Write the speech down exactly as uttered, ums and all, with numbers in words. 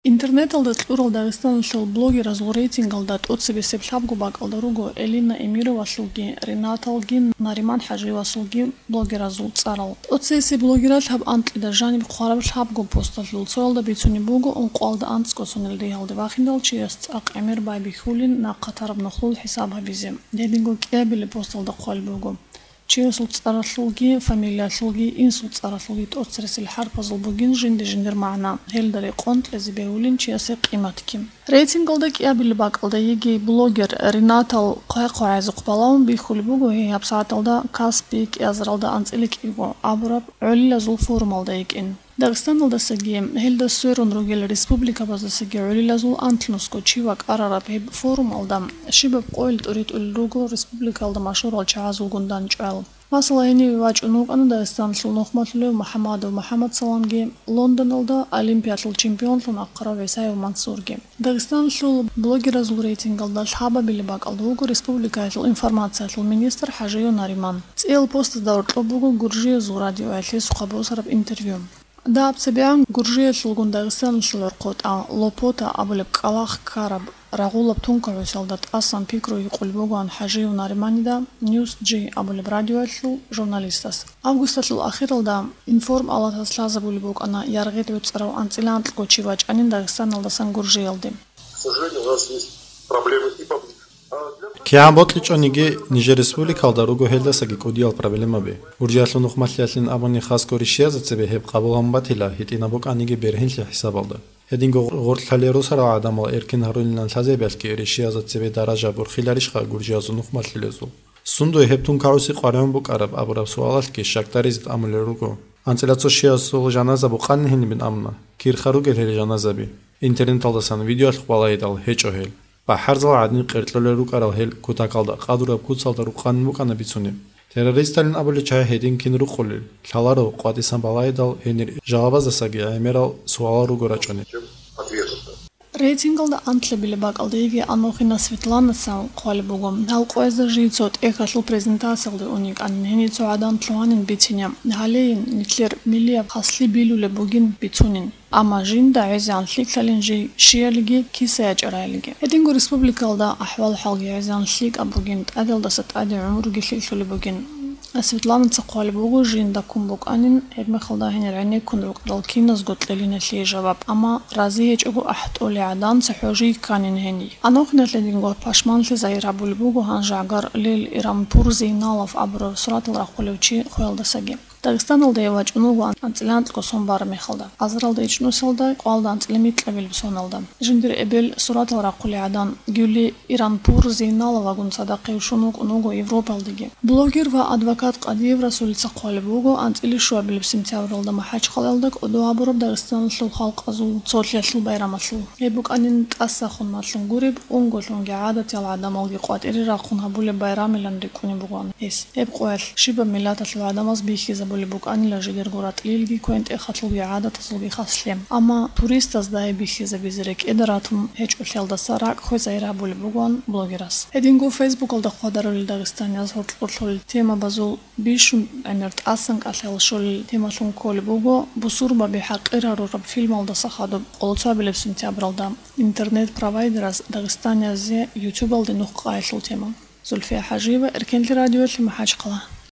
Интернеталда кьурал Дагъистаналъул блогеразул рейтингалда тӀоцебесеб лъабго бакӀалда руго Элина Эмировалъулги, Ринаталги, Нариман ХӀажиевасулги блогеразул цӀарал. ТӀоцебесеб блогерал гьаб анкьида жаниб хъвараб лъабго посталъул цоялда бицунеб буго ункъоялда анцӀго сонил дагьалде вахиндал чияс цӀакъ гӀемер байбихьулин нахъа тараб нухлул хӀисаб гьабизе. Гьединго кӀиабилеб посталда хъвалеб буго. Чиясул цӀаралъулги, фамилиялъулги, инсул цӀаралъулги тӀоцересел хӀарпазул бугин жинди-жиндир магӀна, гьелда рекъон кьезе бегьулин чиясе къиматги. Рейтингалда кӀиабилеб бакӀалда йигей блогер Ринатал хъвай-хъвай гӀезухъ балагьун бихьулеб буго гьей гьабсагӀаталда Каспи кӀиазаралда анцӀила кӀиго абураб гӀолилазул форумалда йикӀин. Дагъистаналдасаги, гьелда сверун ругел республикабаздасаги гӀолилазул анлънусго чи вакӀарараб гьеб форумалда щибаб къойил тӀуритӀулел руго республикалда машгьурал чагӀазулгун дандчӀвал. Масала, гьениве вачӀун вукӀана Дагъистаналъул нухмалъулев МухӀамадов МухӀамадсаламги, Лондоналда олимпиялъул чемпионлъун ахъарав ГӀисаев Мансурги. Дагъистаналъул блогеразул рейтингалда лъабабилеб бакӀалда вуго республикаялъул информациялъул министр ХӀажиев Нариман. ЦӀиял постазда гьоркьоб буго Гуржиязул радиоялъ гьесухъа босараб интервью. Дагьаб цебегӀан Гуржиялъулгун Дагъистаналъул гӀорхъотӀа Лопота абулеб кӀкӀалахъ ккараб рагъулаб тункагӀусиялда тӀасан пикру гьикъулеб бугоан ХӀажиев Нариманида News G абулеб радиоялъул журналистас. Августалъул ахиралда Информ Алатас лъазабулеб букӀана яргъи гӀуцӀарав анцӀила анкьго чи вачӀанин Дагъистаналдасан Гуржиялде. К сожалению, у нас есть проблемы и поближе. А для КигӀан бокьичӀониги, нижер республикалда руго гьелдасаги кӀудиял проблемаби. Гуржиялъул нухмалъиялъин абуни, хасго ришиязда цебе гьеб къабул гьабун батила, гьитӀинаб букӀаниги бергьенлъи хӀисабалда. Гьединго гъоркьлъале росарал гӀадамал эркин гьарулилан лъазабиялъги ришиязда цебе даража борхиларищха гуржиязул нухмалъилезул? Сундуе гьеб тункагӀуси къваригӀун букӀараб абураб суалалъги щакдаризе тӀамулел руго. АнцӀила цо чиясул жаназа букъанин гьенибин абуна, кирха ругел гьел жаназаби. Интернеталдасан видеоялъухъ балагьидал гьечӀо гьел. БахӀарзал гӀадин къеркьулел рукӀарал гьел кутакалда къадураб куцалда рукъанин букӀана бицунеб. Террористалин абулел чагӀи гьедин кин рукъулел, лъаларо къватӀисан балагьидал гьенир жалабаздасаги гӀемерал суалал руго рачӀунел. Чем ответов-то? Рейтингалда анлъабилеб бакӀалда йигей Анохина Светланаца хъвалеб буго. Гьал къоязда жий цо тӀехьалъул презентациялде ун йикӀанин, гьенир цо гӀадан лъугьанин бицине. Гьалейин, нилъер миллияб хаслъи билулеб бугин бицунин. Амма жинда гӀезегӀан лъикӀлъалин жий щиялиги, киса ячӀараялиги. Гьединго республикалда ахӀвал-хӀалги гӀезегӀан лъикӀаб бугин, тӀадалдаса тӀаде гӀумруги лъикӀлъулеб бугин. Светланаца хъвалеб буго, жинда ккун букӀанин, гьебмехалда гьенир гӀенеккун рукӀарал киназго кьелиналъе жаваб, амма рази гьечӀого ахӀтӀолей гӀадан цохӀо жий кканин гьениб. Анохиналъ гьединго пашманлъи загьир гьабулеб буго гьанжегӀгар Лил Иранпур Зейналов абурав суратал рахъулев чи хвелдасаги. Дагъистаналдае вачӀун вуго анцӀила анкьго сон бараб мехалда. Азаралда ичӀнусиялда къоялда анцӀила микьабилеб соналда. Жиндир эбел суратал рахъулей гӀадан Гюли Иранпур Зейналовагун цадахъ гьев щун вукӀун вуго Европалдаги. Блогер ва адвокат Къадиев Расулица хъвалеб буго анцӀила щуабилеб сентябралда МахӀачхъалаялда кӀодо гьабураб Дагъистаналъул халкъазул цолъиялъул байрамалъул. Гьеб букӀанин тӀасахун малъун гуреб, унголъунги гӀадатиял гӀадамалги къватӀире рахъун гьабулеб байрамилан рикӀкӀунеб бугоан гьес. Гьеб къоялъ щибаб миллаталъул гӀадамаз бихьизабулеб букӀанила жидерго ратӀлилги квен-тӀехалъулги гӀадатазулги хаслъи. Амма туристазда гьеб бихьизабизе рекӀеда ратун гьечӀолъиялдаса ракӀ хвезайир гьабулеб бугоан блогерас. Гьединго Фейсбукалда хъвадарулел дагъистанияз гьоркьорлъулел темабазул бищун гӀемер тӀасан кӀалъал щолел темалъун кколеб буго бусурбаби хӀакъир гьарураб фильмалдаса хадуб къолоцабилеб сентябралда интернет-провайдераз дагъистаниязе ютубалде нух къайилъул тема. Зульфия ХӀажиева, Эркенлъи радиолъи, МахӀачхъала.